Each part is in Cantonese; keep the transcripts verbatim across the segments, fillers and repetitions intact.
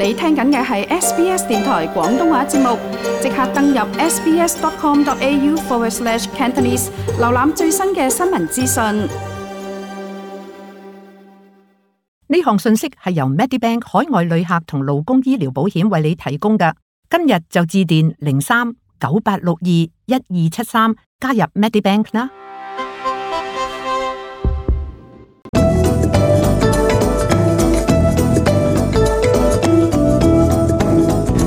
你聽緊嘅係 S B S 電台廣東話節目，即刻登入 sbs.com.au forward slash Cantonese， 瀏覽最新嘅新聞資訊。呢項信息係由 Medibank 海外旅客同勞工醫療保險為你提供嘅。今日就致電零三九八六二一二七三加入 Medibank 啦。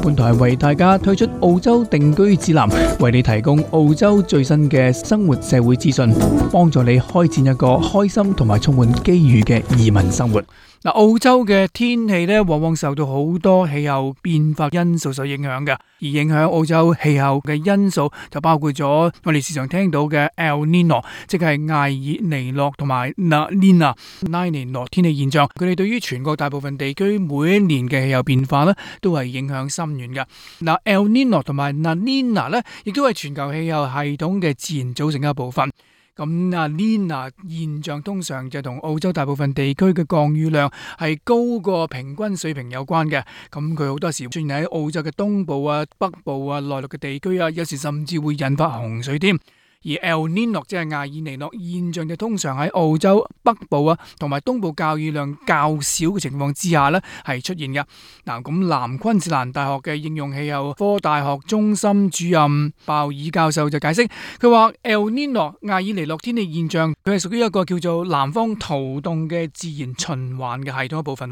本台為大家推出澳洲定居指南，為你提供澳洲最新嘅生活社會資訊，幫助你開展一個開心同埋充滿機遇嘅移民生活。嗱，澳洲嘅天氣咧，往往受到好多氣候變化因素所影響嘅，而影響澳洲氣候嘅因素就包括咗我哋時常聽到嘅 El Nino， 即係艾爾尼諾同埋 La Nina 拉尼諾天氣現象。佢哋對於全國大部分地區每一年嘅氣候變化咧，都係影響深遠嘅。嗱 El Nino 同埋 La Nina 咧，亦都係全球氣候系統嘅自然組成嘅一部分。咁啊 Nina 現象通常就同澳洲大部分地區嘅降雨量係高過平均水平有關嘅。咁佢好多時出現喺澳洲嘅東部啊、北部啊、內陸嘅地區啊，有時甚至會引發洪水添。而 El Nino 即係艾爾尼諾現象就通常喺澳洲北部啊同埋東部降雨量較少嘅情況之下呢係出現嘅。嗱，咁南昆士蘭大學嘅應用氣候科大學中心主任鮑爾教授就解釋，佢話 El Nino 艾爾尼諾天氣現象佢係屬於一個叫做南方圖動嘅自然循環嘅系統一部分。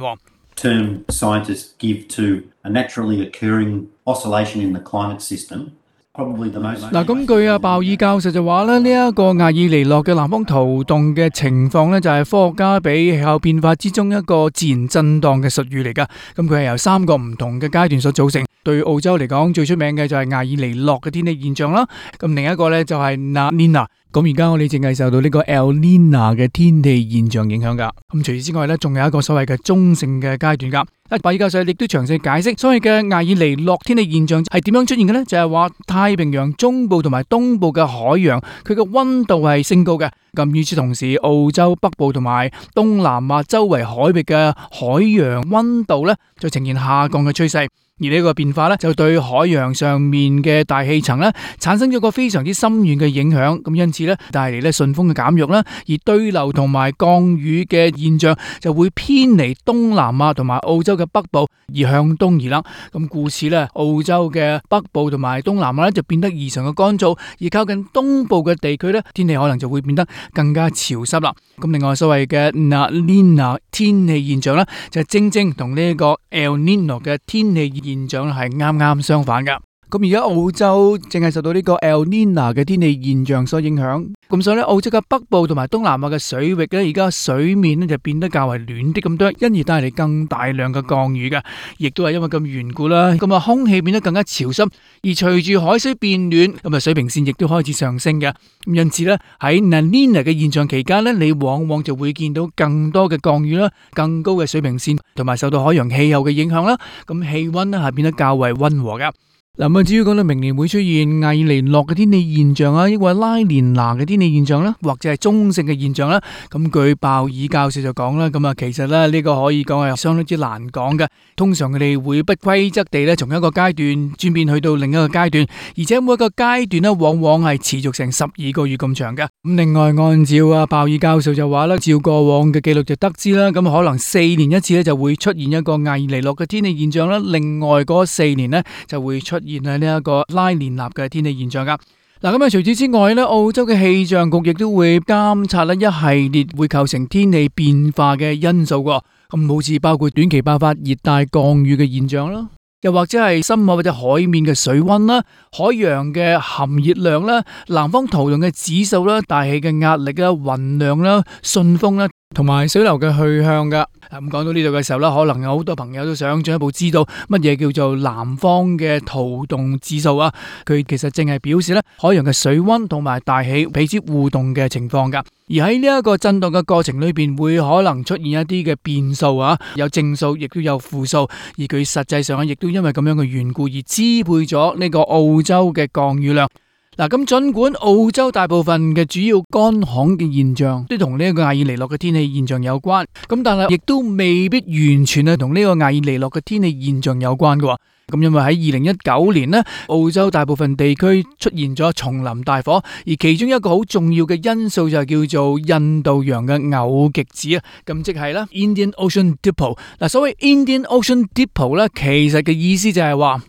Term scientists give to a naturally occurring oscillation in the climate system.嗱，咁據阿鮑爾教授就話咧，呢一個艾爾尼諾嘅南方圖動嘅情況呢，就係科學家俾氣候變化之中一個自然震盪嘅術語嚟噶。咁佢係由三個唔同嘅階段所組成。對澳洲嚟講，最出名嘅就係艾爾尼諾嘅天氣現象啦。咁另一個呢，就係 La Nina。咁而家我哋淨係受到呢個 El Nina 嘅天氣現象影響噶。咁除此之外呢，仲有一個所謂嘅中性嘅階段噶。鮑爾教授亦都詳細解釋，所謂嘅艾爾尼諾天氣現象係點樣出現嘅呢？就係話太平洋中部同埋東部嘅海洋，佢嘅溫度係升高嘅。咁與此同時，澳洲北部同埋東南亞周圍海域嘅海洋溫度呢，就呈現下降嘅趨勢。而呢個變化咧，就對海洋上面嘅大氣層咧，產生咗個非常之深遠嘅影響。咁因此咧，帶嚟咧順風嘅減弱啦，而對流同埋降雨嘅現象就會偏離東南亞同埋澳洲嘅北部，而向東移啦。咁故此咧，澳洲嘅北部同埋東南亞咧就變得異常嘅乾燥，而靠近東部嘅地區咧，天氣可能就會變得更加潮濕啦。咁另外所謂嘅 La Nina 天氣現象咧，就正正同呢個 El Nino 嘅天氣現象係啱啱相反噶。咁而家澳洲淨係受到呢個 El Nina 嘅天氣現象所影響，咁所以咧澳洲嘅北部同埋東南亞嘅水域咧，而家水面咧就變得較為暖啲咁多，因而帶嚟更大量嘅降雨嘅，亦都係因為咁緣故啦。咁啊，空氣變得更加潮濕，而隨住海水變暖，咁啊水平線亦都開始上升嘅。咁因此咧喺 La Nina 嘅現象期間咧，你往往就會見到更多嘅降雨啦，更高嘅水平線，同埋受到海洋氣候嘅影響啦。咁氣溫咧係變得較為溫和噶。嗱，咁至於講到明年會出現艾爾尼諾嘅天氣現象啊，抑或拉連娜嘅天氣現象啦，或者係中性嘅現象啦，咁據鮑爾教授就講啦，咁啊其實咧呢個可以講係相當之難講嘅。通常佢哋會不規則地咧從一個階段轉變去到另一個階段，而且每一個階段咧往往係持續成十二個月咁長嘅。咁另外按照啊鮑爾教授就話啦，照過往嘅記錄就得知啦，咁可能四年一次咧就會出現一個艾爾尼諾嘅天氣現象啦，另外嗰四年呢就會出現係呢一個拉連納嘅天氣現象噶。嗱，咁啊，除此之外咧，澳洲嘅氣象局亦都會監察咧一系列會構成天氣變化嘅因素噶。咁好似包括短期爆發熱帶降雨嘅現象啦，又或者係深海或者海面嘅水溫啦、海洋嘅含熱量啦、南方圖動嘅指數啦、大氣嘅壓力啦、雲量啦、順風啦，同埋水流嘅去向噶。咁講到呢度嘅時候咧，可能有好多朋友都想進一步知道乜嘢叫做南方嘅圖動指數啊？佢其實淨係表示咧海洋嘅水溫同埋大氣彼此互動嘅情況噶。而喺呢一個震動嘅過程裏邊，會可能出現一啲嘅變數啊，有正數，亦都有負數。而佢實際上亦都因為咁樣嘅緣故而支配咗呢個澳洲嘅降雨量。嗱，咁盡管澳洲大部分嘅主要乾旱嘅現象都同呢個艾爾尼諾嘅天氣現象有關，咁但係亦都未必完全係同呢個艾爾尼諾嘅天氣現象有關嘅。咁因為喺二零一九年呢，澳洲大部分地區出現咗叢林大火，而其中一個好重要嘅因素就係叫做印度洋嘅偶極子啊，咁即係啦 Indian Ocean Dipole。嗱，所謂 Indian Ocean Dipole 咧，其實嘅意思就係話，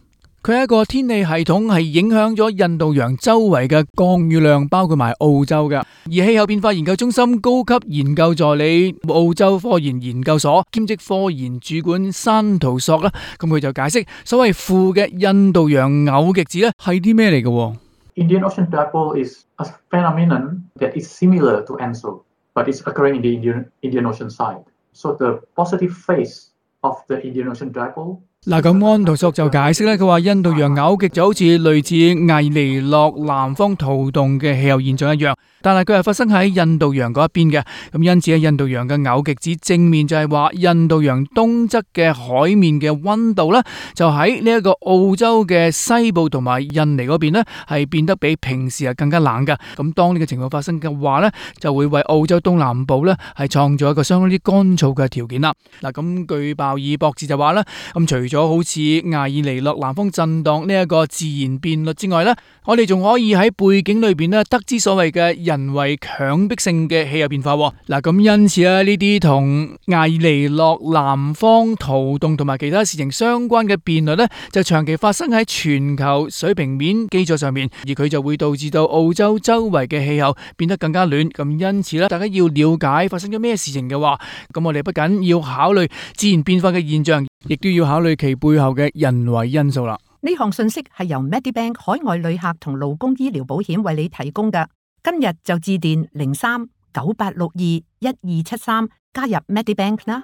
佢係一個天氣系統，係影響咗印度洋周圍嘅降雨量，包括埋澳洲嘅。而氣候變化研究中心高級研究助理、澳洲科研研究所兼職科研主管山圖索啦，咁佢就解釋所謂負嘅印度洋偶極子咧係啲咩嚟嘅？Indian Ocean Dipole is a phenomenon that is similar to ENSO, but it's occurring in the Indian Indian Ocean side. So the positive phase of the Indian Ocean Dipole。嗱，咁安圖索就解釋咧，佢話印度洋偶極就好似類似艾尼諾南方圖動嘅氣候現象一樣，但係佢係發生喺印度洋嗰一邊嘅，咁因此喺印度洋嘅偶極子正面就係話印度洋東側嘅海面嘅溫度咧，就喺呢一個澳洲嘅西部同埋印尼嗰邊咧係變得比平時係更加冷㗎。咁當呢個情況發生嘅話咧，就會為澳洲東南部咧係創造一個相當之乾燥嘅條件啦。嗱，咁據鮑爾博士就話咧，咁除咗好似艾爾尼諾南方震盪呢一個自然變率之外呢，我哋仲可以喺背景裏邊呢得知所謂嘅人為強迫性嘅氣候變化。嗱，咁因此啊，呢啲同艾爾尼諾南方圖動同埋其他事情相關嘅變率呢，就長期發生喺全球水平面基礎上面，而佢就會導致到澳洲周圍嘅氣候變得更加暖。咁因此呢，大家要了解發生咗咩事情嘅話，咁我哋不僅要考慮自然變化嘅現象，亦都要考慮其背後嘅人為因素啦。呢項信息係由 Medibank 海外旅客同勞工醫療保險為你提供嘅。今日就致電零三九八六二一二七三加入 Medibank 啦。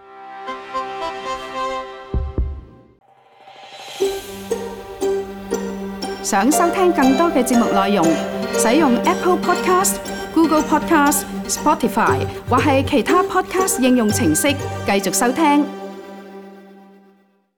想收聽更多嘅節目內容，使用 Apple Podcast、Google Podcast、Spotify 或係其他 Podcast 應用程式繼續收聽。